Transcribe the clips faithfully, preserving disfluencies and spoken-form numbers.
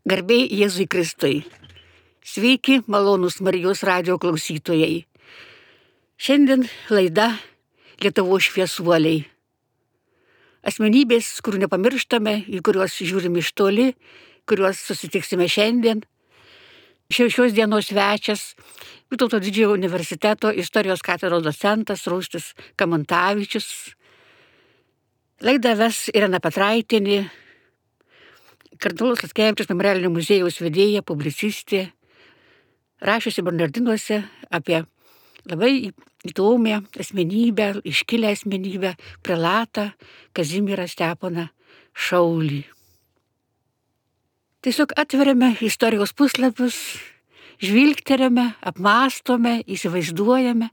Garbė Jėzui Kristui. Sveiki, malonūs Marijos radijo klausytojai. Šiandien laida Lietuvos šviesuoliai. Asmenybės, kurių nepamirštame, į kuriuos žiūrime iš toli, kuriuos susitiksime šiandien. Šios dienos svečias Vytauto Didžiojo universiteto istorijos katedros docentas Rūstis Kamantavičius. Laidą ves Irena Petraitienė, Kardinolas Lackevičius Memorialinio muziejaus vedėja, publicistė, rašiusi Bernardinuose apie labai įdomią asmenybę, iškilę asmenybę, prelatą Kazimierą Steponą Šaulį. Tiesiog atveriame istorijos puslapius, žvilgteriame, apmąstome, įsivaizduojame.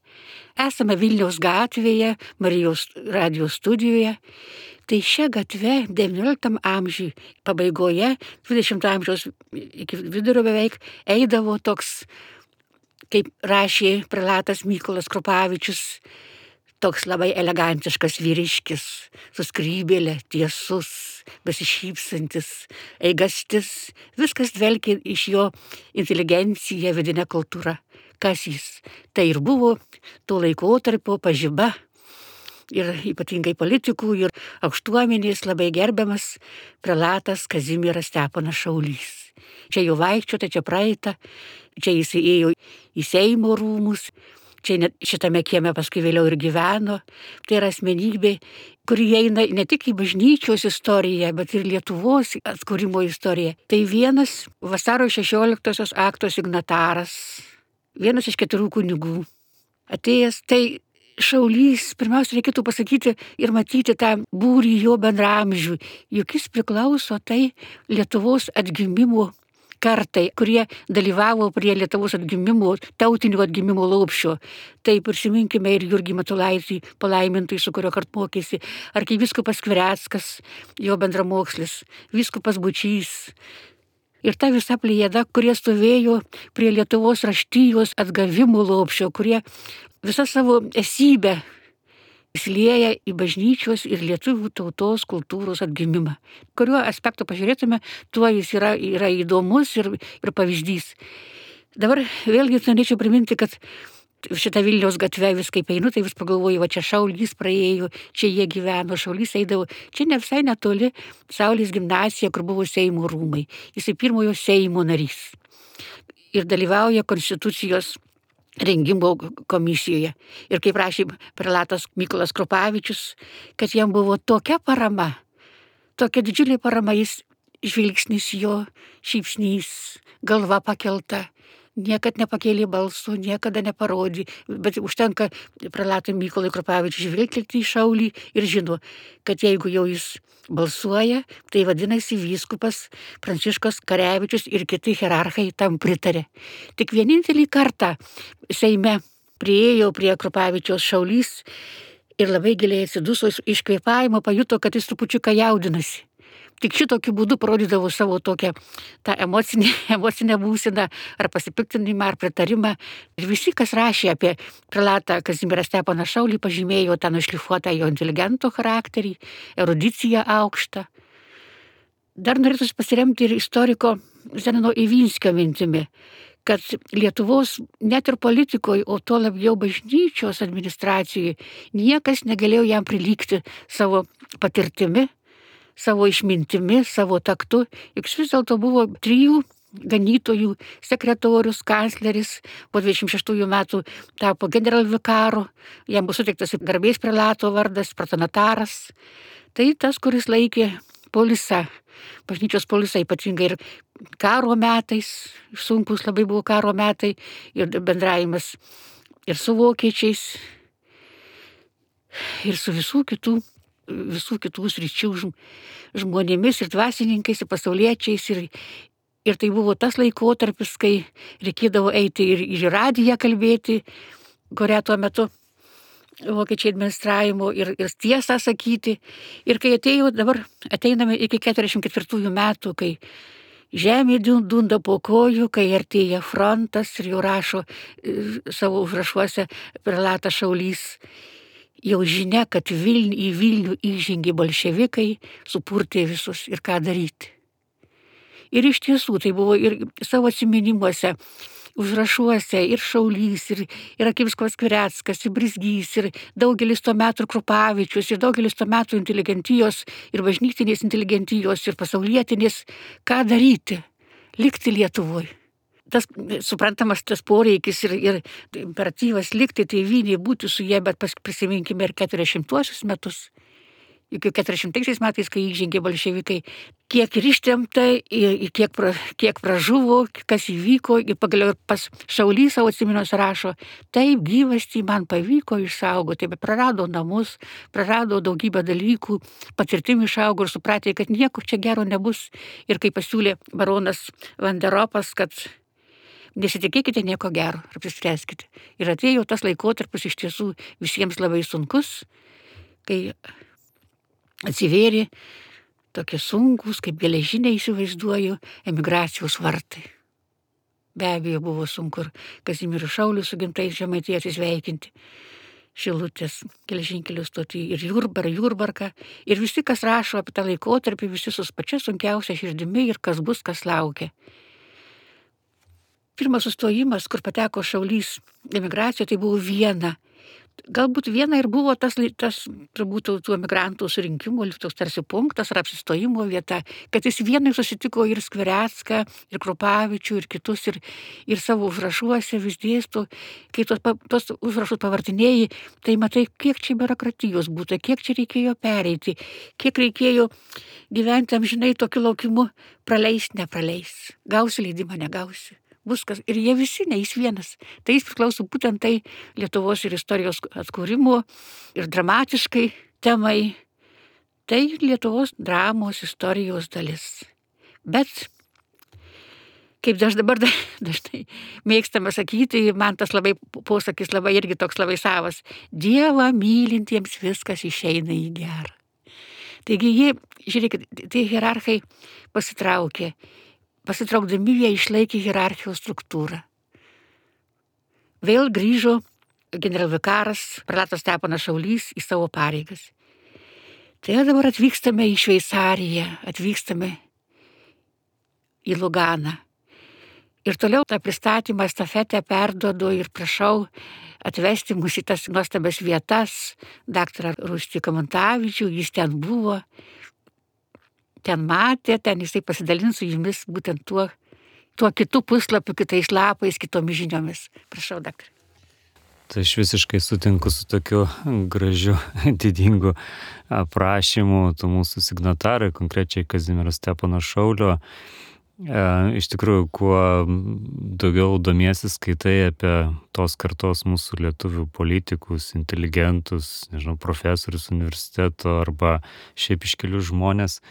Esame Vilniaus gatvėje, Marijos radijo studijoje. Tai šią gatvę devynioliktam amžiui pabaigoje, dvidešimto amžiaus iki vidurio beveik, eidavo toks, kaip rašė prelatas Mykolas Krupavičius, toks labai elegantiškas vyriškis, su skrybėle, tiesus, besišypsantis, eigastis, viskas dvelkė iš jo inteligenciją, vidinę kultūrą. Kas jis? Tai ir buvo to laikotarpio pažiba ir ypatingai politikų ir aukštuomenės labai gerbiamas prelatas Kazimieras Steponas Šaulys. Čia jau vaikščiota, čia praeita, čia jis ėjo į Seimo rūmus, čia net šitame kieme paskui vėliau ir gyveno. Tai yra asmenybė, kuri eina ne tik į bažnyčios istoriją, bet ir Lietuvos atkūrimo istoriją. Tai vienas vasario šešioliktosios akto signataras, vienas iš keturių kunigų. Atėjęs, tai Šaulys, pirmiausia, reikėtų pasakyti ir matyti tą būrį jo bendraamžių, juk jis priklauso tai Lietuvos atgimimo kartai, kurie dalyvavo prie Lietuvos atgimimo, tautinio atgimimo laupščio. Tai prisiminkime ir Jurgį Matulaitį, palaimintąjį, su kurio kart mokėsi, arkivyskupas Skvireckas, jo bendramokslis, vyskupas Bučys. Ir ta visa plejada, kurie stovėjo prie Lietuvos raštijos atgavimo laupščio, kurie visą savo esybę įsilieja į bažnyčios ir lietuvių tautos kultūros atgimimą. Kuriuo aspektu pažiūrėtume, tuo jis yra, yra įdomus ir, ir pavyzdys. Dabar vėlgi norėčiau priminti, kad šitą Vilniaus gatvę vis kaip einu, tai vis pagalvoju, va čia Šaulys praėjo, čia jie gyveno, Šaulys eidavo, čia ne visai netoli Saulės gimnazija, kur buvo Seimo rūmai. Jisai pirmojo Seimo narys ir dalyvauja konstitucijos rengimo komisijoje. Ir kaip rašė prelatas Mykolas Krupavičius, kad jam buvo tokia parama, tokia didžiulė parama, jis žvilgsnis jo, šypsnys, galva pakelta, niekad nepakėlė balso, niekada neparodė, bet užtenka prelatui Mykolui Krupavičiui žvilgtelti į Šaulį ir žino, kad jeigu jau jis balsuoja, tai vadinasi vyskupas Pranciškus Karevičius ir kiti hierarchai tam pritarė. Tik vienintelį kartą Seime priėjo prie Krupavičiaus Šaulys ir labai giliai atsiduso, iš kvėpavimo pajuto, kad jis trupučiuką jaudinasi. Tik šitokiu būdu parodydavo savo tokią tą emocinę, emocinę būseną, ar pasipiktinimą, ar pritarimą. Ir visi, kas rašė apie prelatą Kazimierą Steponą Šaulį, pažymėjo tą nušlifuotą jo inteligento charakterį, erudiciją aukštą. Dar norėtųsi pasiremti ir istoriko Zenono Ivinskio mintimi, kad Lietuvos net ir politikoje, o tuo labiau bažnyčios administracijoje, niekas negalėjo jam prilygti savo patirtimi, savo išmintimi, savo taktu. Juk vis dėlto buvo trijų ganytojų sekretorius, kancleris, po dvidešimt šeštųjų metų tapo generalvikaru, jam buvo suteiktas garbės prelato vardas, protonataras. Tai tas, kuris laikė polisą, bažnyčios polisą, ypatingai ir karo metais, sunkus labai buvo karo metai, ir bendravimas ir su vokiečiais, ir su visų kitų visų kitų sričių žmonėmis ir dvasininkais, ir pasauliečiais. Ir, ir tai buvo tas laikotarpis, kai reikėdavo eiti ir į radiją kalbėti, kurią tuo metu vokiečiai administravimo, ir, ir tiesą sakyti. Ir kai atėjo, dabar ateiname iki keturiasdešimt ketvirtųjų metų, kai žemė dunda po kojų, kai artėja frontas, ir jau rašo savo užrašuose prelatas Šaulys. Jau žinia, kad Viln, į Vilnių įžengė bolševikai, supurtė visus ir ką daryti. Ir iš tiesų tai buvo ir savo atsiminimuose, užrašuose, ir Šaulys, ir, ir Akiviskovas Skvireckas, ir Brizgys, ir daugelis to metų Krupavičius, ir daugelis to metų inteligentijos, ir bažnytinės inteligentijos, ir pasaulietinės, ką daryti, likti Lietuvoje. Tas, suprantamas, tas poreikis ir, ir imperatyvas likti tėvynėje, būti su jie, bet prisiminkime ir keturiasdešimtuosius metus. Iki keturiasdešimtaisiais metais, kai įžengė bolševikai, kiek ir ištremta, kiek, pra, kiek pražuvo, kas įvyko, ir pagaliau pas Šaulys savo atsiminimuose rašo, taip gyvastį man pavyko išsaugoti, bet prarado namus, prarado daugybę dalykų, patirtim išaugo ir supratė, kad nieko čia gero nebus. Ir kai pasiūlė baronas Vanderopas, kad nesitikėkite nieko gero, apsispręskite. Ir atėjo tas laikotarpis iš tiesų visiems labai sunkus, kai atsivėrė tokie sunkus, kaip geležiniai įsivaizduoju, emigracijos vartai. Be abejo buvo sunku ir Kazimierų Šaulių su gimtais Žemaitija atsisveikinti Šilutės geležinkelio stotį ir Jurbarą, Jurbarką. Ir visi, kas rašo apie tą laikotarpį, visi su pačia sunkiausia širdimi ir kas bus, kas laukia. Pirmas sustojimas, kur pateko Šaulys emigracijoje, tai buvo Viena. Galbūt Viena ir buvo tas, tas turbūt tų emigrantų surinkimo, toks tarsi punktas ar apsistojimo vieta, kad jis Vienai susitiko ir Skvirecką, ir Krupavičių, ir kitus, ir, ir savo užrašuose vis dėsto. Kai tos, tos užrašus pavartinėjai, tai matai, kiek čia biurokratijos būtų, kiek čia reikėjo pereiti, kiek reikėjo gyventi amžinai tokiu laukimu, praleis, nepraleis, gausi leidimą, negausi. Bus kas, ir jie visi, ne jis vienas. Tai jis priklauso būtent tai Lietuvos ir istorijos atkūrimo ir dramatiškai temai. Tai Lietuvos dramos istorijos dalis. Bet, kaip aš dabar dažnai mėgstama sakyti, man tas labai posakis labai irgi toks labai savas. Dievą mylintiems viskas išeina į gerą. Taigi jie, žiūrėkit, tie hierarchai pasitraukė. Pasitraukdami jie išlaikė hierarchijos struktūrą. Vėl grįžo generalvikaras, prelatas Steponas Šaulys į savo pareigas. Tai dabar atvykstame į Šveicariją, atvykstame į Luganą. Ir toliau tą pristatymą, estafetę perduodu ir prašau atvesti mus į tas nuostabias vietas. Daktarą Rūstį Kamantavičių, jis ten buvo. Ten matė, ten jisai pasidalins su jumis būtent tuo, tuo kitų puslapių, kitais lapais, kitomis žiniomis. Prašau, daktarė. Tai aš visiškai sutinku su tokiu gražiu, didingu aprašymu tų mūsų signatarai, konkrečiai Kazimiero Stepono Šaulio. Iš tikrųjų, kuo daugiau domiesi skaitai apie tos kartos mūsų lietuvių politikus, inteligentus, nežinau, profesorius universiteto arba šiaip iškelių žmonės,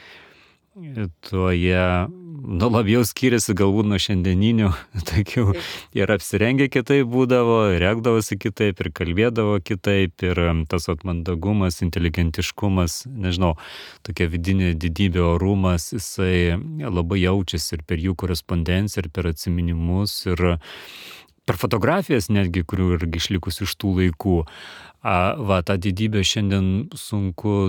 tuo jie nu, labiau skiriasi galbūt nuo šiandieninių, tokių ir apsirengę kitaip būdavo, ir rėkdavosi kitaip, ir kalbėdavo kitaip, ir tas atmandagumas, inteligentiškumas, nežinau, tokia vidinė didybė, orumas, jisai labai jaučiasi ir per jų korespondenciją, ir per atsiminimus, ir per fotografijas netgi, kurių irgi išlikus iš tų laikų. A, va, tą didybę šiandien sunku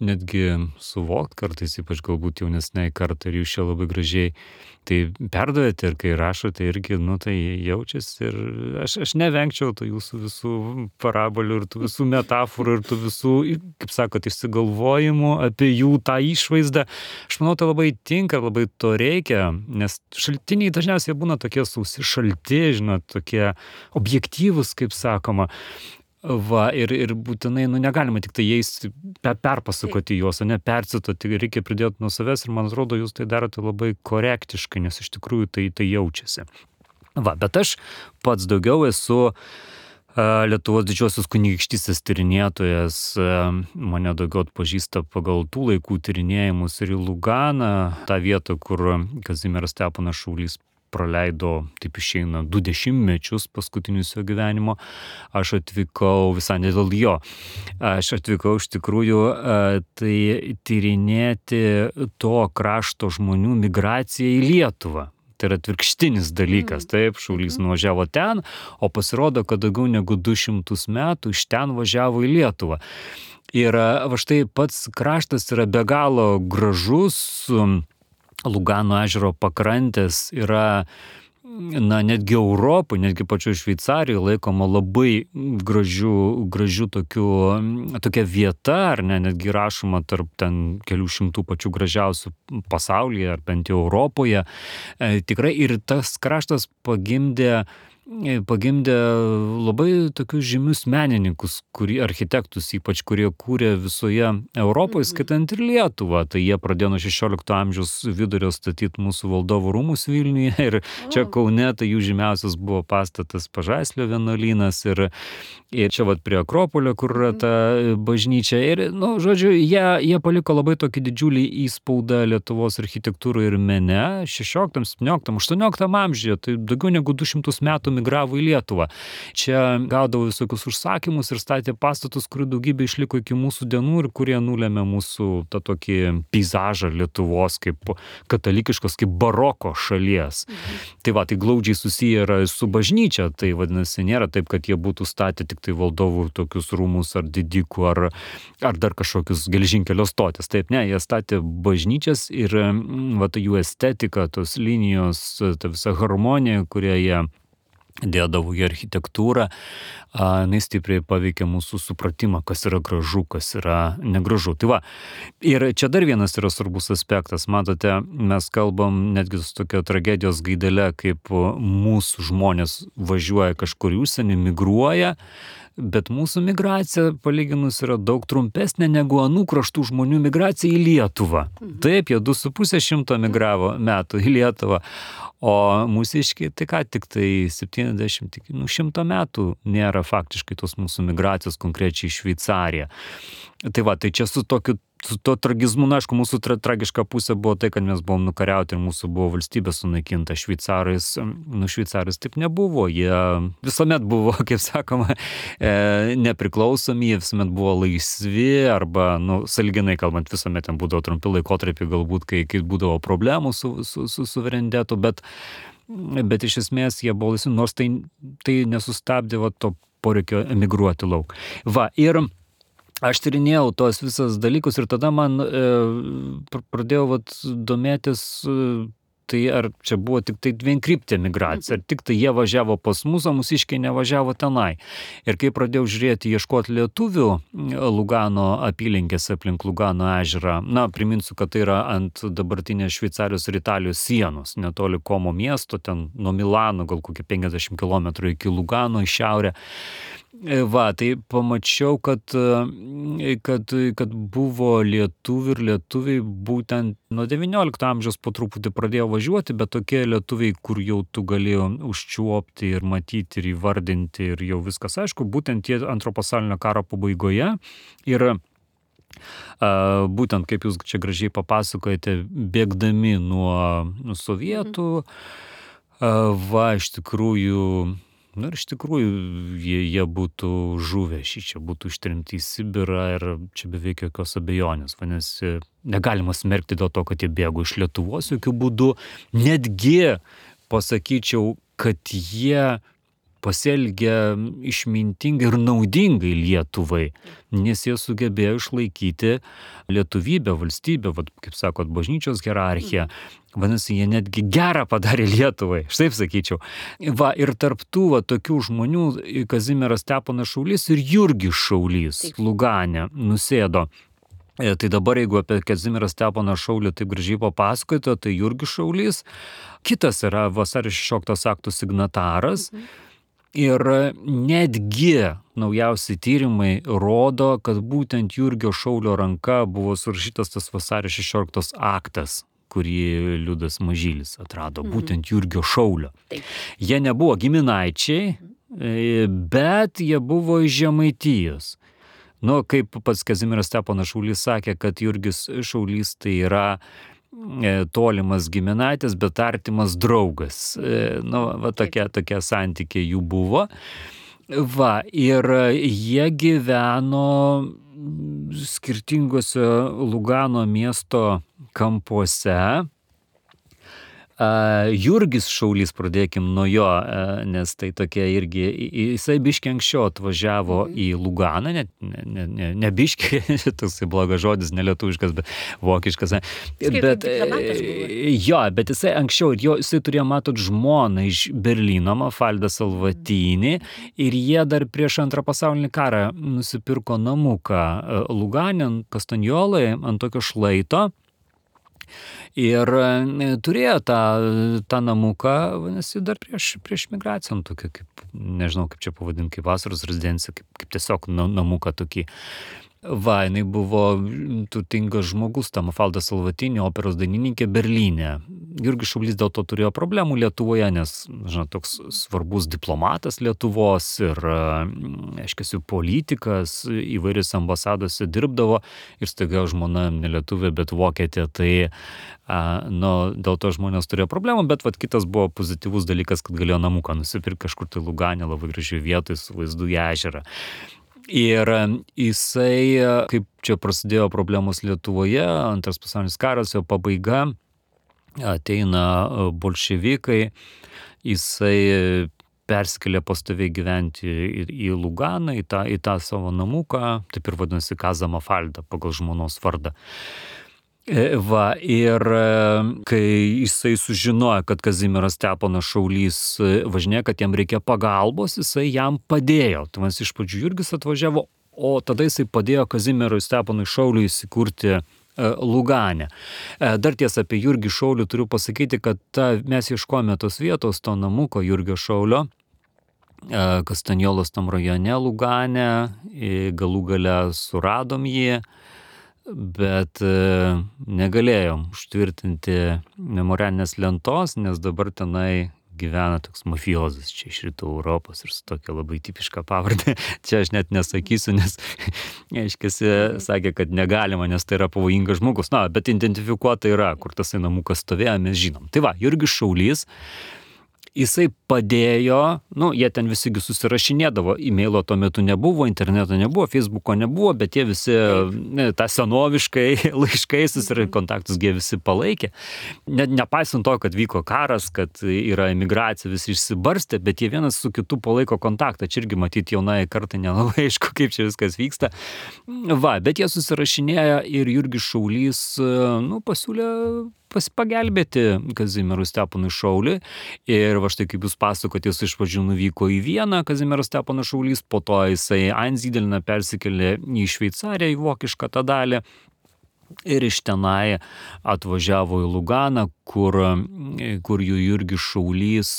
netgi suvokti kartais, ypač galbūt jaunesniai kartai, ir jūs čia labai gražiai tai perdavėte, ir kai rašote irgi, nu tai jaučiasi, ir aš, aš nevengčiau tų jūsų visų parabolių ir tų visų metaforų ir tų visų, kaip sakot, išsigalvojimų apie jų tą išvaizdą. Aš manau, tai labai tinka, labai to reikia, nes šaltiniai dažniausiai būna tokie sausi, šalti, žinot, tokie objektyvūs, kaip sakoma. Va, ir, ir būtinai, nu, negalima tik tai jais perpasakoti juos, o ne percituoti, reikia pridėti nuo savęs, ir man atrodo, jūs tai darote labai korektiškai, nes iš tikrųjų tai, tai jaučiasi. Va, bet aš pats daugiau esu uh, Lietuvos didžiosios kunigaikštystės tyrinėtojas, uh, mane daugiau atpažįsta pagal tų laikų tyrinėjimus ir į Luganą, tą vietą, kur Kazimieras Steponas Šaulys praleido, taip išeina, du dešimtmečius paskutinius jo gyvenimo. Aš atvykau visai ne dėl jo. Aš atvykau iš tikrųjų tai tyrinėti to krašto žmonių migraciją į Lietuvą. Tai yra atvirkštinis dalykas. Taip, Šaulys nuvažiavo ten, o pasirodo, kad daugiau negu du šimtus metų iš ten važiavo į Lietuvą. Ir va štai pats kraštas yra be galo gražus, Lugano ežero pakrantės yra, na, netgi Europoje, netgi pačioje Šveicarijoje laikoma labai gražių, gražių tokių, tokia vieta, ar ne, netgi rašoma tarp ten kelių šimtų pačių gražiausių pasaulyje, ar bent jau Europoje. E, tikrai ir tas kraštas pagimdė pagimdė labai tokius žymius menininkus, kurie, architektus ypač, kurie kūrė visoje Europoje, skaitant ir Lietuvą. Tai jie pradėjo nuo šešiolikto amžiaus vidurio statyti mūsų valdovų rūmus Vilniuje ir čia Kaune tai jų žymiausias buvo pastatas Pažaislio vienuolynas ir, ir čia vat prie Akropolio, kur yra ta bažnyčia. Ir, nu, žodžiu, jie, jie paliko labai tokį didžiulį įspaudą Lietuvos architektūroje ir mene šešioliktam, septynioliktam, aštuonioliktam amžiuje, tai daugiau negu du šimtus metų migravo į Lietuvą. Čia gaudavo visokius užsakymus ir statė pastatus, kurių daugybė išliko iki mūsų dienų ir kurie nulėmė mūsų tą tokį peizažą Lietuvos kaip katalikiškos, kaip baroko šalies. Mhm. Tai va, tai glaudžiai susiję yra su bažnyčia, tai vadinasi, nėra taip, kad jie būtų statę tik tai valdovų tokius rūmus ar didikų ar, ar dar kažkokius geležinkelio stotis. Taip, ne, jie statė bažnyčias ir va, ta jų estetika, tos linijos, ta visa harmonija, kurią jie dėdavo į architektūrą, jinai stipriai paveikia mūsų supratimą, kas yra gražu, kas yra negražu. Tai va, ir čia dar vienas yra svarbus aspektas. Matote, mes kalbam netgi su tokia tragedijos gaidele, kaip mūsų žmonės važiuoja kažkur į užsienį, migruoja, bet mūsų migracija palyginus yra daug trumpesnė negu anų kraštų žmonių migracija į Lietuvą. Taip, jie du su pusė šimto migravo metų į Lietuvą, o mūsiškiai tai ką tik tai septyniasdešimt, nu, šimto metų nėra faktiškai tos mūsų migracijos konkrečiai į Šveicariją. Tai va, tai čia su tokiu su to tragizmu, na, aišku, mūsų tra tragiška pusė buvo tai, kad mes buvom nukariauti ir mūsų buvo valstybė sunaikinta. Šveicarais, nu, šveicarais taip nebuvo. Jie visuomet buvo, kaip sakoma, e, nepriklausomi, jie visuomet buvo laisvi arba, nu, sąlyginai kalbant, visuomet ten būdavo trumpi laikotarpiai, galbūt, kai, kai būdavo problemų su, su, su suverenitetu, bet, bet iš esmės jie buvo laisvi, nors tai, tai nesustabdė va, to poreikio emigruoti lauk. Va, ir aš tyrinėjau tos visas dalykus ir tada man e, pradėjau vat, domėtis, e, tai ar čia buvo tik tai vienkryptė migracija, ar tik tai jie važiavo pas mus, o mūsiškiai nevažiavo tenai. Ir kai pradėjau žiūrėti, ieškoti lietuvių Lugano apylinkės aplink Lugano ežerą, na, priminsiu, kad tai yra ant dabartinės Šveicarijos ir Italijos sienos, netoli Komo miesto, ten nuo Milano gal kokie penkiasdešimt kilometrų iki Lugano į šiaurę. Va, tai pamačiau, kad, kad, kad buvo lietuvių ir lietuviai būtent nuo devyniolikto amžiaus po truputį pradėjo važiuoti, bet tokie lietuviai, kur jau tu galėjo užčiuopti ir matyti ir įvardinti ir jau viskas aišku, būtent tie antro pasaulinio karo pabaigoje ir Uh, būtent, kaip jūs čia gražiai papasakojate, bėgdami nuo, nuo sovietų, uh, va, iš tikrųjų, nu ir iš tikrųjų jie, jie būtų žuvę, šį čia būtų ištrimti į Sibirą ir čia beveik jokios abejonės. Vadinasi, negalima smerkti dėl to, kad jie bėgo iš Lietuvos jokių būdų. Netgi pasakyčiau, kad jie pasielgė išmintingai ir naudingai Lietuvai, nes jie sugebėjo išlaikyti lietuvybę, valstybę, vat, kaip sakot, bažnyčios hierarchiją. Vadinasi, jie netgi gerą padarė Lietuvai, štai sakyčiau. Va, ir tarp tų va, tokių žmonių Kazimieras Steponas Šaulys ir Jurgis Šaulys Lugane nusėdo. E, tai dabar, jeigu apie Kazimierą Steponą Šaulį taip gražiai papasakojate, tai Jurgis Šaulys, kitas yra vasario šešioliktos akto signataras. Mhm. Ir netgi naujausi tyrimai rodo, kad būtent Jurgio Šaulio ranka buvo surašytas tas vasario šešioliktos aktas, kurį Liudas Mažylis atrado, mhm. būtent Jurgio Šaulio. Taip. Jie nebuvo giminaičiai, mhm. bet jie buvo iš Žemaitijos. Nu, kaip pats Kazimieras Steponas Šaulys sakė, kad Jurgis Šaulys tai yra tolimas giminaitis, bet artimas draugas. Nu, va, tokie, tokie santykiai jų buvo. Va, ir jie gyveno skirtingose Lugano miesto kampuose. Jurgis Šaulys, pradėkim nuo jo, nes tai tokia irgi, jisai biškiai anksčiau atvažiavo mhm. į Luganą, ne, ne, ne, ne biškiai, toksai blogas žodis, nelietuviškas, bet vokiškas. Bet, jo, bet jisai anksčiau, jo, jisai turėjo, matot, žmoną iš Berlyno, Mafaldą Salvatinį, ir jie dar prieš antrą pasaulinį karą nusipirko namuką Luganė, Kastanjolai, ant tokio šlaito. Ir turėjo tą, tą namuką, vadinasi, dar prieš, prieš migraciją, tokį, kaip, nežinau, kaip čia pavadinti, kaip vasaros rezidencija, kaip, kaip tiesiog namuką tokį. Va, jinai buvo turtingas žmogus, ta Mafalda Salvatinė, operos dainininkė Berlyne. Jurgis Šaulys dėl to turėjo problemų Lietuvoje, nes, žinot, toks svarbus diplomatas Lietuvos ir, aiškiai, politikas, įvairius ambasadose dirbdavo ir staiga žmona ne lietuvė, bet vokietė, tai nu, dėl to žmonės turėjo problemų, bet vat, kitas buvo pozityvus dalykas, kad galėjo namuką nusipirkti kažkur tai Luganė, labai gražiai vietoj su vaizdu į ežerą. Ir jisai, kaip čia prasidėjo problemos Lietuvoje, antras pasaulinis karas, jo pabaiga, ateina bolševikai, jisai persikėlė pastoviai gyventi į, į Luganą, į tą, į tą savo namuką, taip ir vadinasi Kaza Mafalda pagal žmonos vardą. Va, ir kai jisai sužinojo, kad Kazimieras Steponas Šaulys važinėja, kad jam reikia pagalbos, jisai jam padėjo. Tai mes iš pradžių Jurgis atvažiavo, o tada jisai padėjo Kazimierui Steponui Šauliui įsikurti Luganę. Dar tiesa apie Jurgį Šaulį turiu pasakyti, kad ta, mes ieškojome tos vietos, to namuko Jurgio Šaulio, Kastanjolos tam rajone Luganę, galų gale suradom jį, bet negalėjom užtvirtinti memorialinės lentos, nes dabar tenai gyvena toks mafiozas čia iš rytų Europos ir su tokia labai tipiška pavardė. Čia aš net nesakysiu, nes aiškiai sakė, kad negalima, nes tai yra pavojingas žmogus. Na, bet identifikuota yra, kur tasai namukas stovėjo, mes žinom. Tai va, Jurgis Šaulys, jisai padėjo, nu, jie ten visigi susirašinėdavo, e-mailo tuo metu nebuvo, interneto nebuvo, Facebooko nebuvo, bet jie visi, ne, tą senoviškai laiškai susirašė, kontaktus jie visi palaikė. Ne, nepaisant to, kad vyko karas, kad yra emigracija, visi išsibarstė, bet jie vienas su kitu palaiko kontaktą. Čia irgi matyti jaunai kartai nelabai aišku, kaip čia viskas vyksta. Va, bet jie susirašinėjo ir Jurgis Šaulys, nu, pasiūlė pagelbėti Kazimierui Steponui Šauliui. Ir va štai kaip jūs pasakot, jis iš pradžių nuvyko į Vieną, Kazimieras Steponas Šaulys, po to jisai Einsiedelną persikėlė į Šveicariją, į vokišką tą dalį. Ir iš tenai atvažiavo į Luganą, kur, kur jų Jurgis Šaulys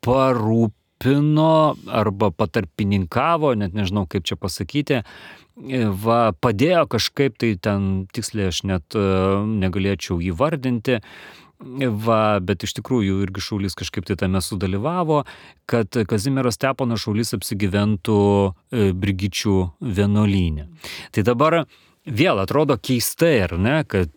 parūpino arba patarpininkavo, net nežinau kaip čia pasakyti, va, padėjo kažkaip tai ten, tiksliai aš net negalėčiau įvardinti, va, bet iš tikrųjų Jurgis Šaulys kažkaip tai tame sudalyvavo, kad Kazimieras Steponas Šaulys apsigyventų Brigičių vienuolyne. Tai dabar vėl atrodo keistai, ar ne, kad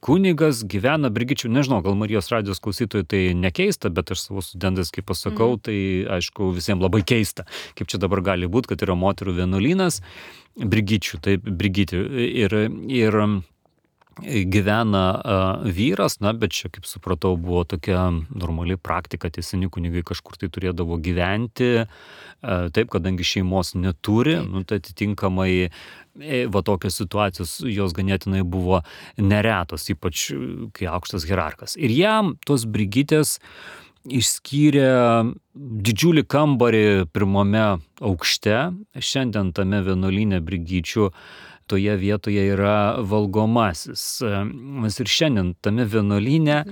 kunigas gyvena Brigičių, nežinau, gal Marijos radijos klausytojai tai nekeista, bet aš savo studentais, kaip pasakau, mm. tai aišku visiems labai keista. Kaip čia dabar gali būti, kad yra moterų vienuolynas Brigičių, taip, Brigitį. Ir, ir gyvena uh, vyras, na, bet čia, kaip supratau, buvo tokia normali praktika, tie seni kunigai kažkur tai turėdavo gyventi, uh, taip, kadangi šeimos neturi, nu, tai atitinkamai va tokios situacijos jos ganėtinai buvo neretos, ypač kai aukštas hierarchas. Ir jam tos Brigitės išskyrė didžiulį kambarį pirmame aukšte. Šiandien tame vienuolyne Brigičių toje vietoje yra valgomasis. Mes ir šiandien tame vienuolyne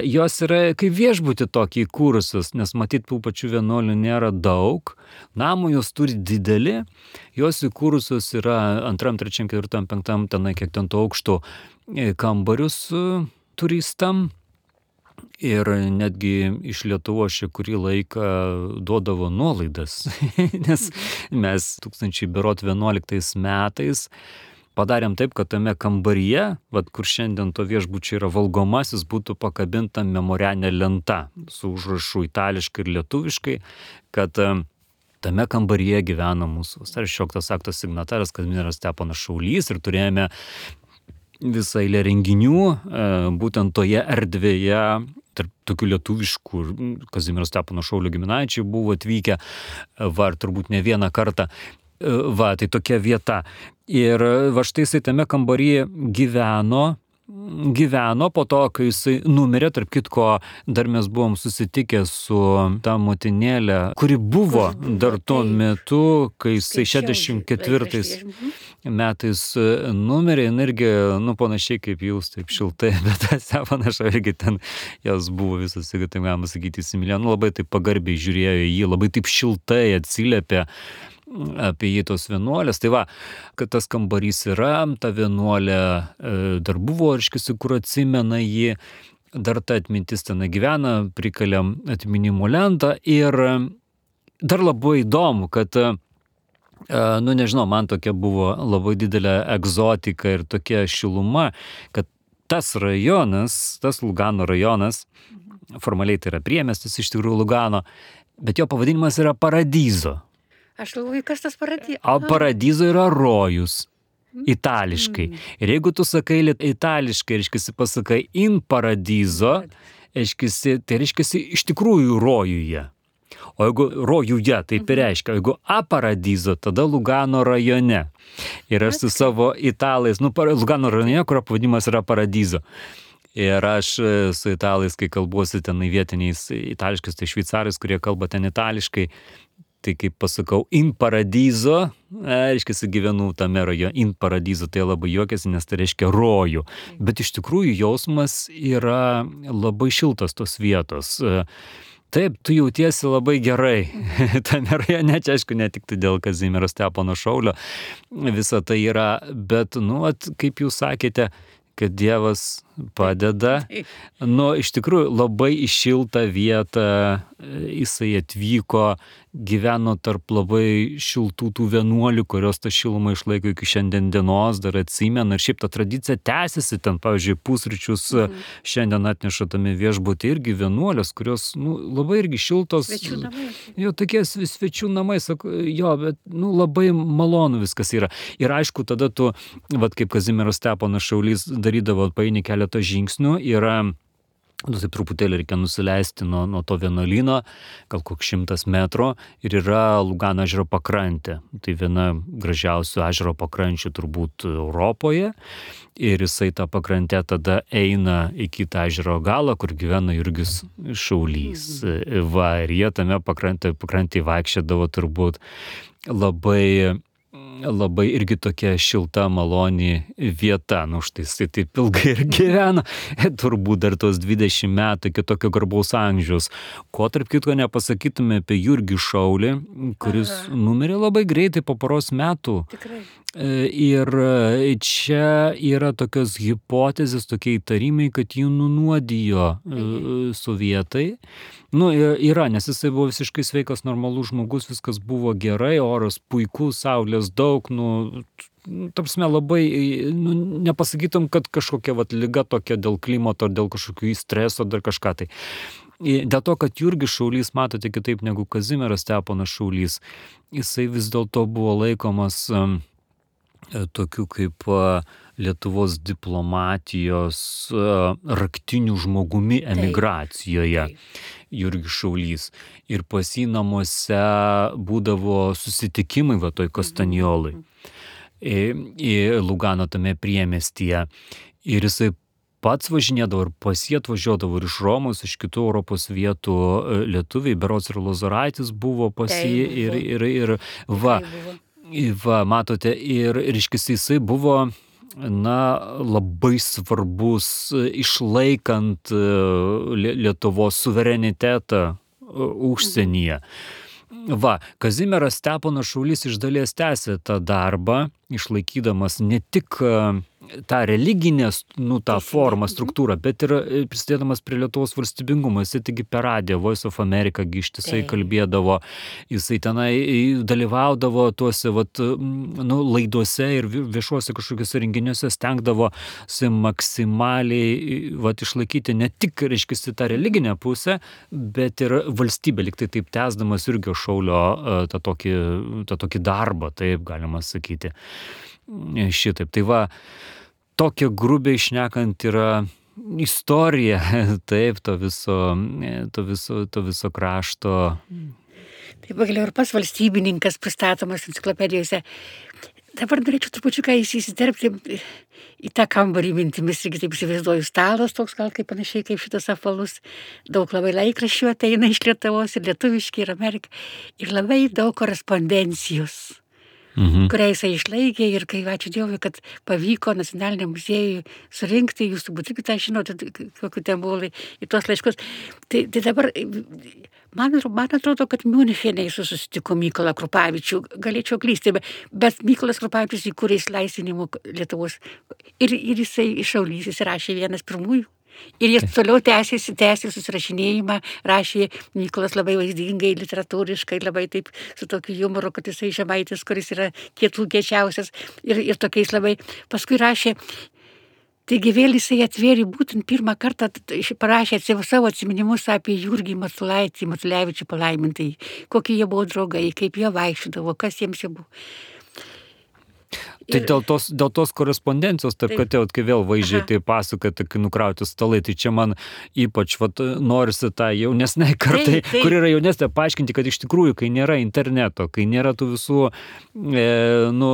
jos yra kaip viešbutį tokį įkūrusios, nes matyt, tų pačių vienuolių nėra daug. Namų jos turi didelį, jos įkūrusios yra antram, trečiam, ketvirtam, penktam, tenai kiek ten to aukšto kambarius turistam. Ir netgi iš Lietuvos šį kurį laiką duodavo nuolaidas, nes mes tūkstančiai berot vienuoliktais metais padarėm taip, kad tame kambaryje, vat, kur šiandien to viešbučio yra valgomasis, būtų pakabinta memorialinė lenta su užrašu itališkai ir lietuviškai, kad tame kambaryje gyvena mūsų vasario šešioliktos akto signataras Kazimieras Steponas Šaulys ir turėjome visą eilę renginių, būtent toje erdvėje, tarp tokių lietuviškų, Kazimiero Stepono Šaulio giminaičiai buvo atvykę, va, ir turbūt ne vieną kartą, va, tai tokia vieta. Ir va štai jisai tame kambaryje gyveno, gyveno po to, kai jisai numirė, tarp kitko, dar mes buvom susitikę su ta motinėlė, kuri buvo dar tuo metu, kai jisai šešiasdešimt ketvirtais metais numirė, jin irgi, nu, panašiai kaip jūs, taip šiltai, bet Steponas irgi ten, jos buvo visas, jeigu tai galima sakyti, įsimylėjo, nu, labai taip pagarbiai žiūrėjo į jį, labai taip šiltai atsiliepė apie jį tos vienuolės. Tai va, kad tas kambarys yra, ta vienuolė dar buvo, reiškia, kur atsimena jį, dar ta atmintis ten gyvena, prikalėm atminimo lentą ir dar labai įdomu, kad, nu nežinau, man tokia buvo labai didelė egzotika ir tokia šiluma, kad tas rajonas, tas Lugano rajonas, formaliai tai yra priemiestis iš tikrųjų Lugano, bet jo pavadinimas yra Paradiso. Aš galvoju, kas tas Paradiso? O Paradiso yra rojus, itališkai. Ir jeigu tu sakai itališkai, reiškiasi pasakai in Paradiso, reiškiasi, tai reiškiasi iš tikrųjų rojuje. O jeigu rojuje, taip ir reiškia, jeigu a Paradiso, tada Lugano rajone. Ir aš su savo italais, nu, Lugano rajone, kurio pavadinimas yra Paradiso. Ir aš su italais, kai kalbuosi ten vietiniais itališkais, tai šveicarais, kurie kalba ten itališkai, tai kaip pasakau, in Paradiso, reiškia, gyvenu tame rajone, in Paradiso, tai labai juokiasi, nes tai reiškia rojų. Bet iš tikrųjų jausmas yra labai šiltas tos vietos. Taip, tu jautiesi labai gerai. Tame rajone, čia aišku, ne tik tai dėl Kazimiero Stepono Šaulio, visa tai yra, bet, nu, at, kaip jūs sakėte, kad Dievas padeda. Nu, iš tikrųjų, labai į šiltą vietą jisai atvyko, gyveno tarp labai šiltų tų vienuolių, kurios tą šilumą išlaiko iki šiandien dienos, dar atsimena. Ir šiaip ta tradicija tęsiasi ten, pavyzdžiui, pusryčius mm. šiandien atneša tame viešbuty irgi vienuolės, kurios, nu, labai irgi šiltos. Svečių namai. Jo, tokie svečių namai, sako, jo, bet, nu, labai malonu viskas yra. Ir aišku, tada tu, vat kaip Kazimieras Steponas Šaulys darydavo, paeini keletą žingsnių, yra, nu, taip truputėlį reikia nusileisti nuo, nuo to vienuolyno, gal koks šimtas metrų, ir yra Lugano ežero pakrantė. Tai viena gražiausių ežero pakrančių turbūt Europoje. Ir jisai tą pakrantę tada eina į kitą ežero galą, kur gyvena Jurgis Šaulys. Va, ir jie tame pakrantė, pakrantėje vaikščiodavo turbūt labai labai irgi tokia šilta, maloni vieta. Nu, štai jisai taip ilgai ir gyveno, turbūt dar tos dvidešimt metų iki tokio garbaus amžiaus. Ko tarp kitko nepasakytume apie Jurgį Šaulį, kuris Aha. numirė labai greitai po poros metų. Tikrai. Ir čia yra tokios hipotezės, tokie įtarimai, kad jį nunuodijo mhm. sovietai. Nu, yra, nes jisai buvo visiškai sveikas, normalus žmogus, viskas buvo gerai, oras puikus, saulės daug, nu, tarpsme labai, nu, nepasakytum, kad kažkokia vat liga tokia dėl klimato, dėl kažkokių streso, dar kažką tai. Dėl to, kad Jurgis Šaulys, matote, kitaip negu Kazimieras Steponas Šaulys, jisai vis dėlto buvo laikomas um, tokiu kaip uh, Lietuvos diplomatijos uh, raktiniu žmogumi emigracijoje. Taip, taip. Jurgis Šaulys. Ir pas jį namuose būdavo susitikimai va toj Kastanjolai. Į, į Lugano tame priemiestyje. Ir jisai pats važinėdavo ir pas jį atvažiuodavo ir iš Romos, iš kitų Europos vietų lietuviai, berods ir Lozoraitis buvo pas jį. Ir, ir, ir va, va, matote, ir, ir iškis jisai buvo na, labai svarbus išlaikant Lietuvos suverenitetą užsienyje. Va, Kazimieras Steponas Šaulys iš dalies tęsė tą darbą, išlaikydamas ne tik tą religinę, nu, tą formą, struktūrą, bet ir prisidėdamas prie Lietuvos valstybingumo. Jisai taigi per radiją Voice of America ištisai kalbėdavo, jisai tenai dalyvaudavo tuose vat, nu, laiduose ir viešuose kažkokiuose renginiuose, stengdavosi maksimaliai vat, išlaikyti ne tik, reiškia, tą religinę pusę, bet ir valstybę, lyg tai taip tęsdamas Jurgio Šaulio tą tokį, tą tokį darbą, taip galima sakyti. Šitaip. Tai va, tokia grubiai šnekant yra istorija, taip, to viso, to viso, to viso krašto. Tai pagaliau ir pas valstybininkas pristatomas enciklopedijose. Dabar norėčiau trupučiuką įsiterpti į tą kambarį mintimis, irgi taip įsivaizduoju, stalas toks gal kaip panašiai kaip šitas apvalus, daug labai laikraščių ateina iš Lietuvos ir lietuviški ir Amerika ir labai daug korespondencijos. Mhm. Kurią jisai išlaikė ir kai ačiū Dievui, kad pavyko Nacionaliniam muziejui surinkti, jūs turbūt irgi tą žinote, kokiu ten buvo į tuos laiškus. Tai, tai dabar, man, man atrodo, kad Miunchene jis susitiko Mykolą Krupavičių, galėčiau klysti, bet Mykolas Krupavičius įkūrė išlaisvinimo Lietuvos ir, ir jisai iš Šaulys, jis rašė vienas pirmųjų. Ir jis toliau tęsėsi, tęsė susirašinėjimą, rašė Mykolas labai vaizdingai, literatūriškai, labai taip su tokiu humoru, kad jisai Žemaitis, kuris yra kietų kiečiausias ir, ir tokiais labai. Paskui rašė, taigi vėl jisai atvėrė būtent pirmą kartą, parašė savo atsiminimus apie Jurgį Matulaitį, Matulevičių palaimintai, kokie jie buvo draugai, kaip jie vaikščiodavo, kas jiems jie buvo. Tai dėl tos, dėl tos korespondencijos, taip, kad jau, kai vėl vaizdžiai tai pasakoti, kai nukrauti stalai, tai čia man ypač vat, norisi tą jaunesnei kartai, taip, taip. Kur yra jaunesnė, paaiškinti, kad iš tikrųjų, kai nėra interneto, kai nėra tų visų e, nu,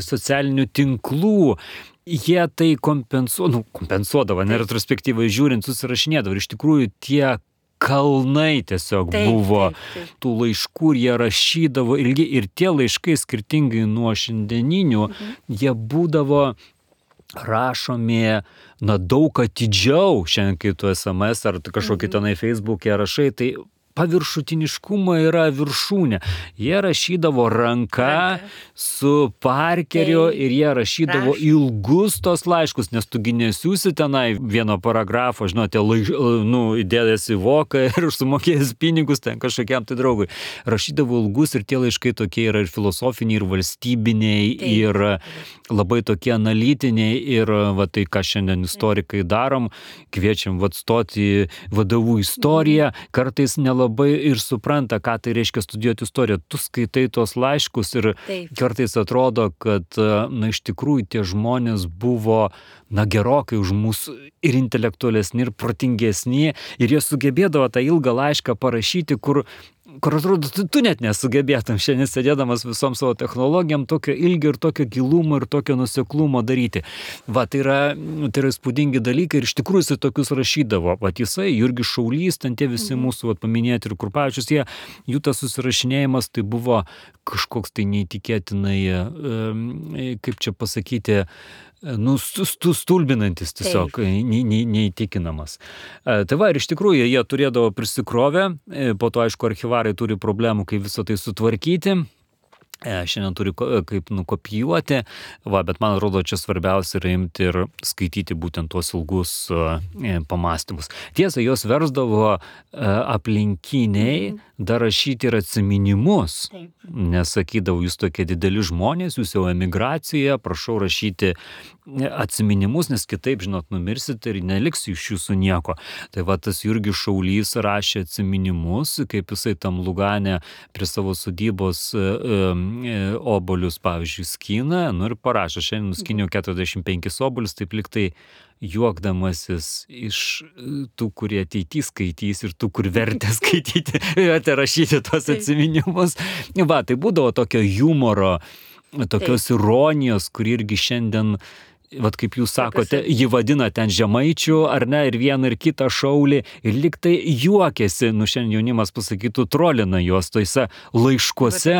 socialinių tinklų, jie tai kompensuo, nu, kompensuodavo, ne retrospektyvai žiūrint, susirašinėdavo. Ir iš tikrųjų tie kalnai tiesiog taip, buvo taip, taip. Tų laiškų, jie rašydavo ilgi ir tie laiškai skirtingai nuo šiandieninių, mhm. jie būdavo rašomi, na, daug atidžiau, šiandien kai tu es em es ar kažkokį mhm. tenai Facebook'e rašai, tai paviršutiniškumo yra viršūnė. Jie rašydavo ranka Ranka. su Parkeriu tai, ir jie rašydavo raš. ilgus tos laiškus, nes tu nesiūsi tenai vieno paragrafo, žinote, laiš, nu, įdėdės į voką ir sumokėjęs pinigus ten kažkokiam tai draugui. Rašydavo ilgus ir tie laiškai tokie yra ir filosofiniai, ir valstybiniai, tai. ir labai tokie analitiniai ir va tai, ką šiandien istorikai darom, kviečiam va stoti vadovų istoriją, kartais nelabai labai ir supranta, ką tai reiškia studijuoti istoriją. Tu skaitai tos laiškus ir taip. Kartais atrodo, kad, na, iš tikrųjų tie žmonės buvo, na, gerokai už mūsų ir intelektualesni, ir protingesni, ir jie sugebėdavo tą ilgą laišką parašyti, kur kur atrodo, tu, tu net nesugebėtum šiandien sėdėdamas visom savo technologijom tokio ilgio ir tokio gilumo ir tokio nuseklumo daryti. Va, tai yra, tai yra įspūdingi dalykai ir iš tikrųjų jisai tokius rašydavo. Va, jisai, Jurgis Šaulys, ten tie visi mūsų va, paminėti ir Krupavičius, jie, jų tas susirašinėjimas tai buvo kažkoks tai neįtikėtinai, kaip čia pasakyti, nu, stulbinantis tiesiog, ne, ne, neįtikinamas. Tai va, ir iš tikrųjų jie turėdavo prisikrovę, po to, aišku, archyvarai turi problemų, kaip visą tai sutvarkyti. Šiandien turi kaip nukopijuoti, va, bet man atrodo, čia svarbiausia yra imti ir skaityti būtent tuos ilgus pamastymus. Tiesa, jos versdavo aplinkiniai dar rašyti ir atsiminimus, nes sakydavo, jūs tokie dideli žmonės, jūs jau emigracijoje, prašau rašyti atsiminimus, nes kitaip, žinot, numirsite ir neliks iš jūsų nieko. Tai va, tas Jurgis Šaulys rašė atsiminimus, kaip jisai tam Lugane prie savo sodybos obolius, pavyzdžiui, skina, nu ir parašo, šiandien nuskiniau keturiasdešimt penkis obolius, taip liktai juokdamasis iš tų, kurie ateity skaitys ir tų, kur vertė skaityti, vertė rašyti tos atsiminimus. Va, tai būdavo tokio humoro, tokios taip. Ironijos, kur irgi šiandien, vat kaip jūs sakote, jį vadina ten žemaičių, ar ne, ir vieną ir kitą Šaulį, ir lyg tai juokėsi, nu šiandien jaunimas pasakytų, trolina juos toise laiškuose,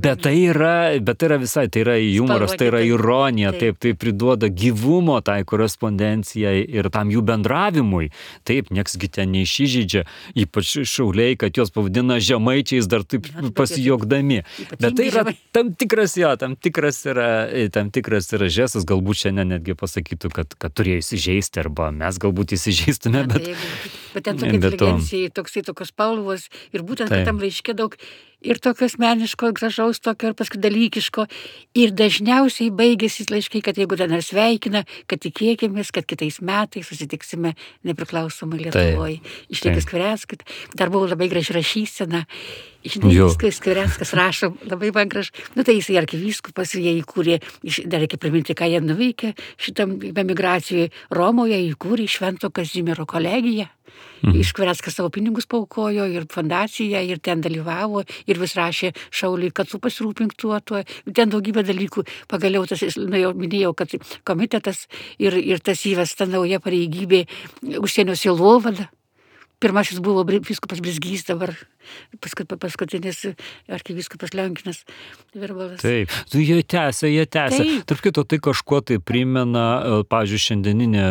bet tai yra, bet tai yra visai, tai yra humoras, tai yra ironija, taip, tai priduoda gyvumo tai korespondencijai ir tam jų bendravimui, taip, nieksgi ten neišsižeidžia, ypač Šauliai, kad juos pavadina žemaičiais dar taip pasijuokdami, bet tai yra tam tikras, jo, tam tikras yra, tam tikras yra žestas, galbūt šiandien netgi pasakytų, kad, kad turėjo įsižeisti arba mes galbūt įsižeistume, bet, Bet ten tokia inteligencija, toksai tokios spalvos ir būtent tam laiške daug ir tokio asmeniško, gražaus, tokio ir paskui dalykiško. Ir dažniausiai baigėsi laiškai, kad jeigu ten ar sveikina, kad tikėkimės, kad kitais metais susitiksime nepriklausomai Lietuvoje. Išlėkis Skvireckas, dar buvo labai graži rašysena. Žinai, Skvireckas rašo labai man graž. Nu tai jisai arkivyskupas, jie įkūrė, dar reikia priminti, ką jie nuveikė šitam emigracijoje. Romoje įkūrė Švento Kazimiero kolegiją. Mhm. Iš Skvireckas savo pinigus paukojo ir fondaciją, ir ten dalyvavo, ir vis rašė Šauliui, kad tu pasirūpink tuo, tuo. Ten daugybė dalykų. Pagaliau tas, nu, jau minėjau, kad komitetas ir, ir tas įvesta nauja pareigybė užsienio sielovada. Pirmasis buvo vyskupas Blizgys, dabar paskutinis arkivyskupas Lionginas Virbalas. Taip, tu jie tęsia, jie tęsia. Tarp kito, tai kažkuo tai primena, pavyzdžiui, šiandieninė,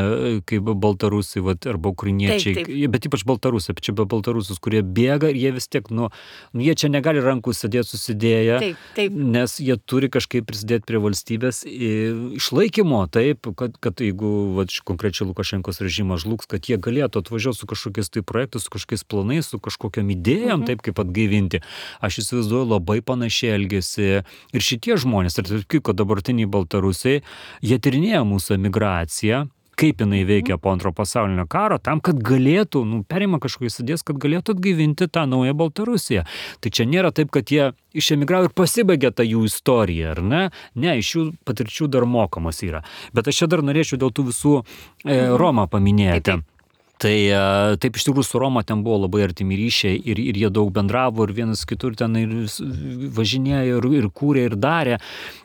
kaip baltarusiai, vat, arba ukrainiečiai, taip, taip. Bet ypač baltarusiai, čia be baltarusius, kurie bėga ir jie vis tiek, nu, jie čia negali rankų sėdėti susidėję, taip, taip. Nes jie turi kažkaip prisidėti prie valstybės išlaikymo, taip, kad, kad jeigu vat, konkrečiai Lukašenkos režimas žlugs, kad jie galėtų atvažiuoti su kažkokiais tai projektais, su kažkokiais planais, su kažkokiam idėjom, taip kaip atgaivinti. Aš įsivaizduoju, labai panašiai elgėsi ir šitie žmonės, ir taip kaip dabartiniai baltarusiai, jie tyrinėja mūsų emigraciją, kaip jinai veikia po antro pasaulinio karo, tam, kad galėtų, nu, perima kažkokiais idėjas, kad galėtų atgaivinti tą naują Baltarusiją. Tai čia nėra taip, kad jie išemigravo ir pasibaigė tą jų istoriją, ar ne? Ne, iš jų patirčių dar mokamas yra. Bet aš čia dar norėčiau dėl tų visų e, Romą paminėti. Taip, taip. Tai taip iš tikrųjų su Roma ten buvo labai artimi ryšiai ir, ir jie daug bendravo ir vienas kitur ten ir važinėjo ir, ir kūrė ir darė,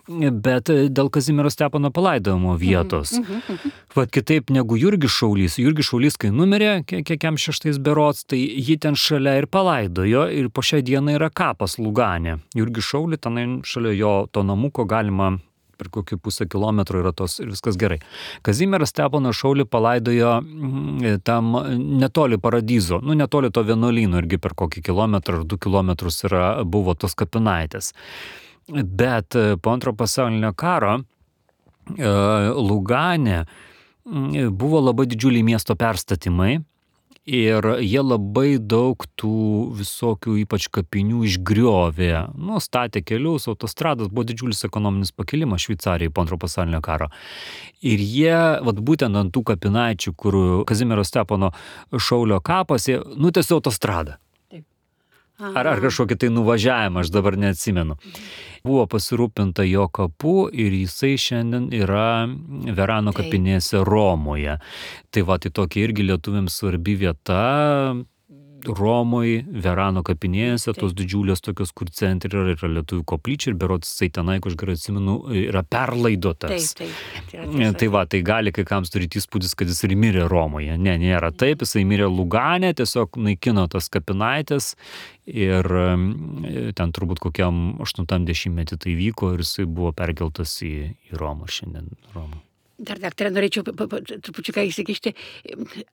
bet dėl Kazimiero Stepono palaidojimo vietos. Mhm, mhm, mhm. Vat kitaip negu Jurgis Šaulys. Jurgis Šaulys, kai numirė, kiekiam šeštais berods, tai jį ten šalia ir palaidojo ir po šią dieną yra kapas Lugane. Jurgis Šaulį, ten šalia jo to namuko galima per kokį pusę kilometro yra tos ir viskas gerai. Kazimieras Steponas Šaulį palaidojo tam netoli Paradizo, nu netoli to vienuolyno, irgi per kokį kilometrą ar du kilometrus yra, buvo tos kapinaitės. Bet po antro pasaulinio karo Lugane buvo labai didžiuliai miesto perstatymai. Ir jie labai daug tų visokių ypač kapinių išgriovė, nu, statė kelius, autostradas, buvo didžiulis ekonominis pakilimas Šveicarijai po antro pasaulinio karo. Ir jie, vat būtent ant tų kapinaičių, kur Kazimiero Stepono Šaulio kapas, jie nutiesė autostradą. Ar, ar kažkokį tai nuvažiavimą, aš dabar neatsimenu. Buvo pasirūpinta jo kapu ir jisai šiandien yra Verano kapinėse Romoje. Tai va, tai tokia irgi lietuviams svarbi vieta Romoje, Verano kapinėse, tos didžiulės tokios, kur centre yra, yra lietuvių koplyčia ir berods jisai tenai, aš gerai atsimenu, yra perlaidotas. Taip, taip. Tai, tai va, tai gali kai kams turėti įspūdis, kad jis ir mirė Romoje. Ne, nėra taip, jisai mirė Lugane, tiesiog naikino tas kapinaitės ir ten turbūt kokiam aštuntam dešimtmetį tai vyko ir jisai buvo perkeltas į, į Romą šiandien. Romą. Dar, daktarė, norėčiau trupučiuką įsikišti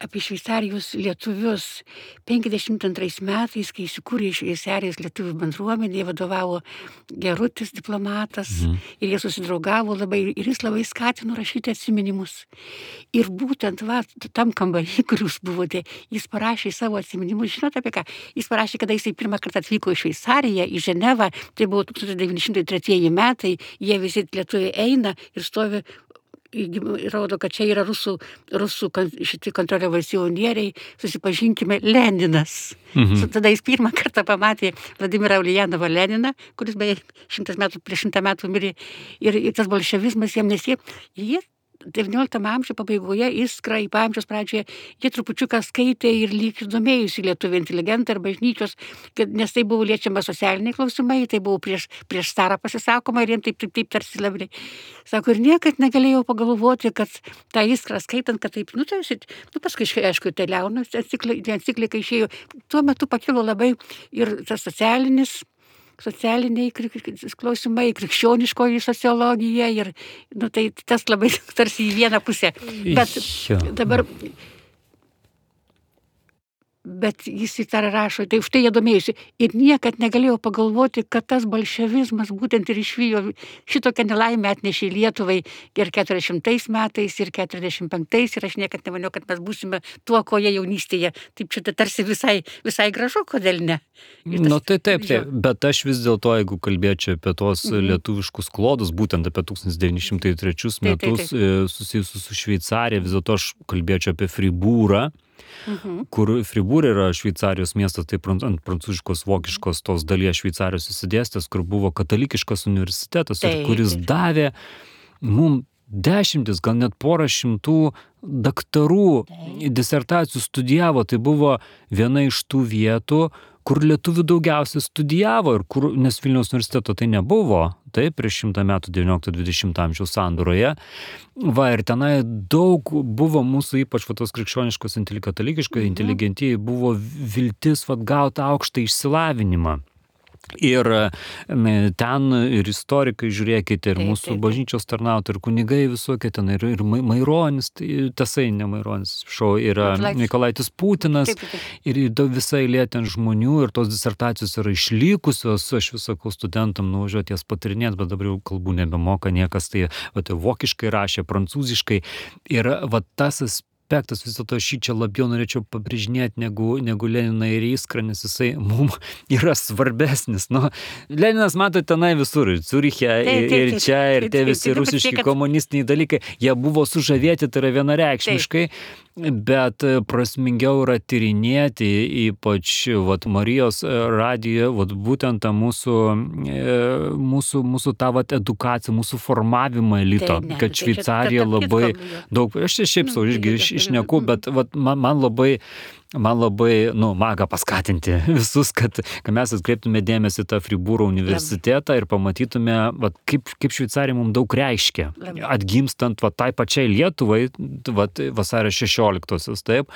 apie Šveicarijos lietuvius. penkiasdešimt antrais metais, kai įsikūrė Šveicarijos lietuvių bendruomenė, vadovavo Gerutis diplomatas, mhm. ir jie susidraugavo labai, ir jis labai skatino rašyti atsiminimus. Ir būtent va, tam kambarį, kur jūs buvote, jis parašė savo atsiminimus. Žinote apie ką? Jis parašė, kada jisai pirmą kartą atvyko į Šveicariją, į Ženevą, tai buvo tūkstantis devyni šimtai tretieji metai, jie visi lietuviai eina ir stovi. Rodo, kad čia yra rusų, rusų šitie kontroliavacionieriai, susipažinkime, Leninas. Mhm. Tada jis pirmą kartą pamatė Vladimirą Uljanovą Leniną, kuris beje šimtas metų, prieš šimtą metų mirė, ir, ir tas bolševizmas jiem nesie. Jie devynioliktam amžiuje pabaigoje, Iskra, į amžiaus pradžioje, jie trupučiuką skaitė ir lyg ir domėjusi lietuvių inteligentai ar bažnyčios, kad, nes tai buvo liečiama socialiniai klausimai, tai buvo prieš, prieš starą pasisakoma ir jiems taip, taip, taip tarsi labai. Sako, ir niekad negalėjau pagalvoti, kad tą Iskrą skaitant, kad taip, nu tai, nu paskui, aišku, tai Leono enciklika išėjo, tuo metu pakilo labai ir tas socialinis, socialiniai klausimai, krikščioniškoji sociologija ir, nu, tai tas labai tarsi į vieną pusę. Bet dabar, bet jis į tą rašo, tai už tai jie domėjusi. Ir niekad negalėjau pagalvoti, kad tas bolševizmas būtent ir išvijo šitokią nelaimę atnešė Lietuvai ir keturiasdešimtais metais, ir keturiasdešimt penktais, ir aš niekad nemaniau, kad mes būsime tuo, ko jie jaunystėje. Taip čia tarsi visai, visai gražu, kodėl ne? Tas, nu tai taip, taip, bet aš vis dėlto, jeigu kalbėčiau apie tos mhm. lietuviškus klodus, būtent apie tūkstantis devyni šimtai trečius metus taip, taip, taip. Susijusius su Šveicarija, vis dėlto aš kalbėčiau apie Friburą, mhm. kur Friburė yra Šveicarijos miestas, tai ant prancūziškos, vokiškos tos dalies Šveicarijos įsidėstęs, kur buvo katalikiškas universitetas, taip, kuris taip. davė mums dešimtis, gal net porą šimtų daktarų disertacijų studijavo. Tai buvo viena iš tų vietų, kur lietuvių daugiausiai studijavo, ir kur, nes Vilniaus universiteto tai nebuvo, taip, prieš šimtą metų devyniolikto dvidešimto amžiaus sandūroje. Va, ir tenai daug buvo mūsų, ypač va, tos krikščioniškos, katalikiškos mhm. inteligentijai, buvo viltis va, gauti aukštą išsilavinimą. Ir ten ir istorikai, žiūrėkite, ir taip, mūsų taip, taip. bažnyčios tarnautojai, ir kunigai visokie ten, ir, ir Maironis, tai, tasai ne Maironis, šau, yra Nikolaitis Putinas, taip, taip. ir visai eilė ten žmonių, ir tos disertacijos yra išlikusios, aš vis sakau studentam nuvažiuoti jas patirinėti, bet dabar jau kalbų nebemoka niekas, tai, va, tai vokiškai rašė, prancūziškai, ir va tas aspektas, vis dėlto aš jį čia labiau norėčiau pabrėžinėti negu, negu Leniną ir Iskrą, nes jisai mums yra svarbesnis. Nu, Leninas, mato, tenai visur, ir Ciuriche, ir, ir čia, ir tie visi rusiški komunistiniai dalykai, jie buvo sužavėti, tai yra vienareikšmiškai, bet prasmingiau yra tyrinėti, ypač vat, Marijos radijoje, vat, būtent tą mūsų, mūsų, mūsų tą vat, edukaciją, mūsų formavimą elito, tai, ne, kad Šveicarija labai daug, aš čia šiaip sau irgi išneku, bet vat, man, man labai man labai, nu, maga paskatinti visus, kad, kad mes atkreiptume dėmesį tą Fribūro universitetą ir pamatytume, vat, kaip, kaip Šveicarija mums daug reiškia, atgimstant vat, tai pačiai Lietuvai, vat, vasario šešioliktosios, taip.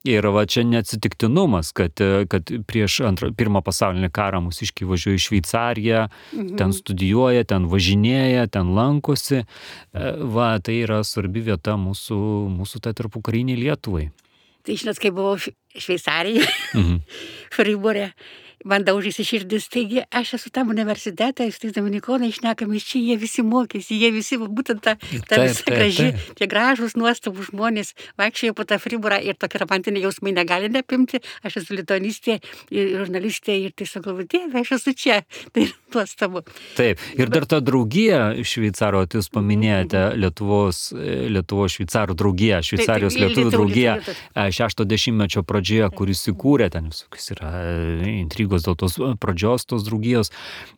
Ir va čia neatsitiktinumas, kad, kad prieš antrą, pirmą pasaulinį karą mūsiškiai važiuoja į Šveicariją, mhm. ten studijuoja, ten važinėja, ten lankosi. Va, tai yra svarbi vieta mūsų, mūsų tai tarpukariniai Lietuvai. Tai žinot, kai buvau Šveicarijoje, mhm. Friburė, man daužėsi širdis, taigi aš esu tam universitetą, su tais dominikonai šnekami, čia jie visi mokėsi, jie visi, būtent ta, ta taip, visa taip, graži, taip. tie gražūs, nuostabų žmonės, vaikščiojo po tą Friburą ir tokie romantiniai jausmai negali neapimti, aš esu lituanistė, žurnalistė ir tiesiog galvoju, Dieve, aš esu čia, tai nuostabu. Taip, ir dar ta draugija Šveicaro, tai jūs paminėjote Lietuvos, Lietuvos šveicarų draugija, Šveicarijos lietuvių draugija šešto dešimtmečio pradžioje, kuris įkūrė, ten visokios yra intrigos dėl tos pradžios tos draugijos,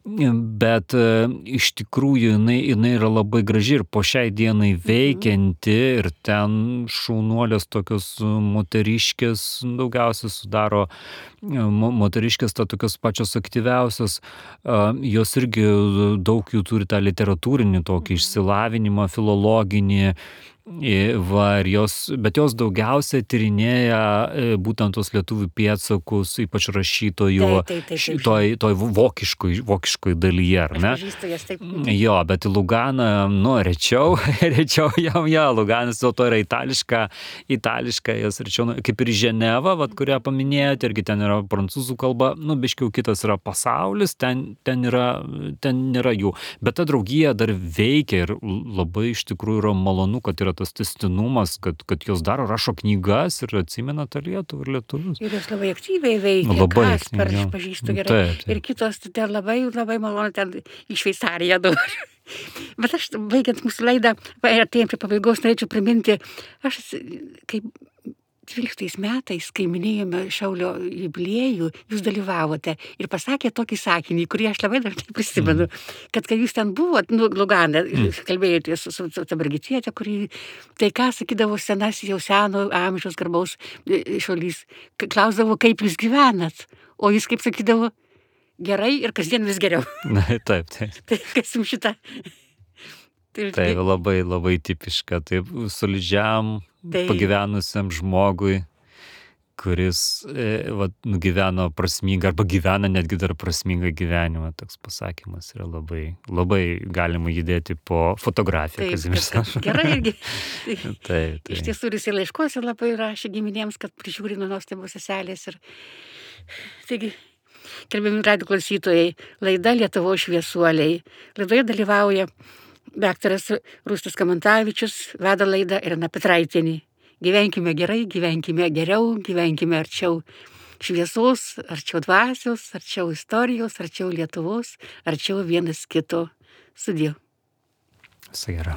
bet iš tikrųjų jinai, jinai yra labai graži ir po šiai dienai veikianti ir ten šaunuolės tokios moteriškės daugiausiai sudaro, moteriškės ta tokios pačios aktyviausios, jos irgi daug jų turi tą literatūrinį tokį išsilavinimą, filologinį, va, ir jos, bet jos daugiausia tyrinėja būtent tos lietuvių pėdsakus, ypač rašytojų, toj, toj vokiškoj, vokiškoj dalyje, ar ne? Taip. Jo, bet į Luganą, nu, rečiau, rečiau jam, jo, Luganas dėl to yra itališka, itališka, jos rečiau, kaip ir Ženeva, vat, kurią paminėjote, irgi ten yra prancūzų kalba, nu, biškiau kitas yra pasaulis, ten, ten, yra, ten nėra jų, bet ta draugija dar veikia ir labai iš tikrųjų yra malonu, kad yra tas tęstinumas, kad, kad jos daro, rašo knygas ir atsimena tą Lietuvą ir lietuvius. Ir jos labai aktyviai veikia, labai Kasper, aš pažįstu gerai. Taip, taip. Ir kitos ten labai, labai malonu ten į Šveicariją dabar. Bet aš, baigiant mūsų laidą, artėjant prie pabaigos, norėčiau priminti, aš kaip dvyliktais metais, kai minėjome Šaulio jubiliejų, jūs dalyvavote ir pasakė tokį sakinį, kurį aš labai dažnai prisimenu, mm. kad kai jūs ten buvot, nu, Lugane, mm. kalbėjote su, su, su ta Brigitiete, kuri, tai ką sakydavo senas, jau seno amžiaus garbaus šaulys, klausdavo, kaip jūs gyvenat, o jūs kaip sakydavo, gerai ir kasdien vis geriau. Na, taip, taip. Tai kas jums šitą? Tai, tai labai, labai tipiška, taip, solidžiam, pagyvenusiam žmogui, kuris e, va, nugyveno prasmingą arba gyvena netgi dar prasmingą gyvenimą. Toks pasakymas yra labai, labai galima judėti po fotografiją. Taip, gerai irgi. taip, taip. Iš tiesų jis ir laiškose labai rašė giminėms, kad prižiūri nuo nuostabios seselės. Ir... Taigi, gerbiami radijo klausytojai, laida Lietuvos šviesuoliai. Laidoje dalyvauja daktaras Rūstis Kamantavičius, veda laidą Irena Petraitienė. Gyvenkime gerai, gyvenkime geriau, gyvenkime arčiau šviesos, arčiau dvasios, arčiau istorijos, arčiau Lietuvos, arčiau vienas kito. Sudie. Visai gera.